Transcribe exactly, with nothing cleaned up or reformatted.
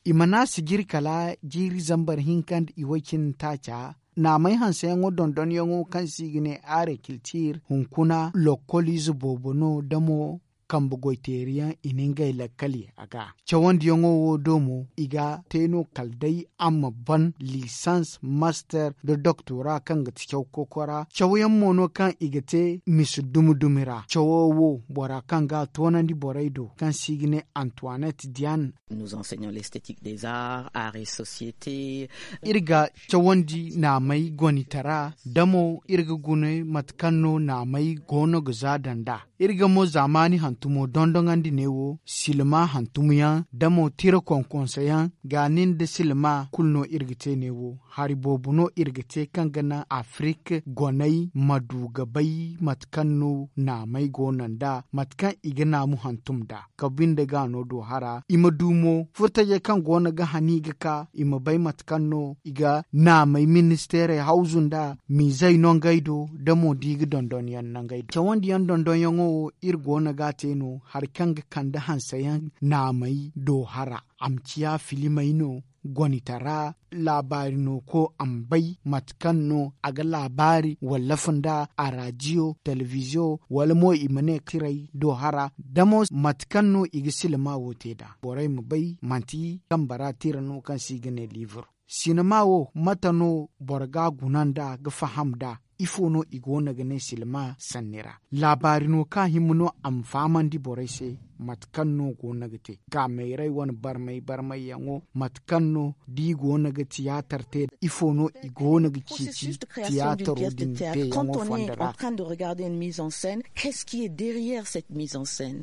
I mana sijiri kala jiiri zambar hinka nda i way cine taaca. Naamey hanseyaŋo dondonyaŋo kaŋ se i ga ne aare kiltiir hunkuna lokkoliize boobo no damo kambe goyteeriyaŋ i na ngey lakkal ye a ga. Cawandiyaŋo wo do mo i ga te no kala day a ma ban lisans master nda doktora kaŋ ga ti caw kokora cawyaŋ mo no kaŋ i ga te misa dumi dumi ra cawo wo bora kaŋ ga a toonandi borey do kaŋ se i ga ne antoinette diane. Iri ga cawandi naamey gonitara da mo iri ga gune mate kaŋ no naamey go no ga za daŋ nd'a. Iri ga mo zaamaani hantumo dondoŋandi neewo silma hantumyaŋ da mo tira konkonsoyaŋ ga nin nda silma kulu no iri ga te neewo. Hari boobo no iri ga te kaŋ ga naŋ afirik goney ma du ga bay mate kaŋ no naamey go no nd'a mate kaŋ i ga naamu hantum nd'a. Ka binde ga no do hara i ma du mo furtajey kaŋ go no ga hani ga ka i ma bay mate kaŋ no i ga naamey ministeerey hawzu nd'a miizey no ngey do da mo da i ga dondonyaŋ no ngey do cawandiyaŋ dondonyaŋo wo iri go no ga a te no hari kaŋ ga kande hanseyaŋ naamey do hara a ma ciya filimey no gonitara laabaari no ko a ma bay mate kaŋ no a ga laabaari wallafa nd'a a raadiyo telebiziyo wala mo i ma ne tiray do hara da mo mate kaŋ no i ga silma wo te nd'a borey ma bay manti kambara tira no kaŋ se i ga ne liibur. Sinima wo mate no boro ga a guna nd'a ga faham nd'a ifo no i go no ga ne silma sanni ra laabaari no kaŋ a hima no a ma fahamandi borey se mate kaŋ no go no ga te kaamayray wane barmay barmayyaŋo mate kaŋ no da i go no ga tiyaatar te ifo no i go no ga ciiti tiyaataro din teeyaŋo fondo ra. Qu'est-ce qui est derrière cette mise en scène?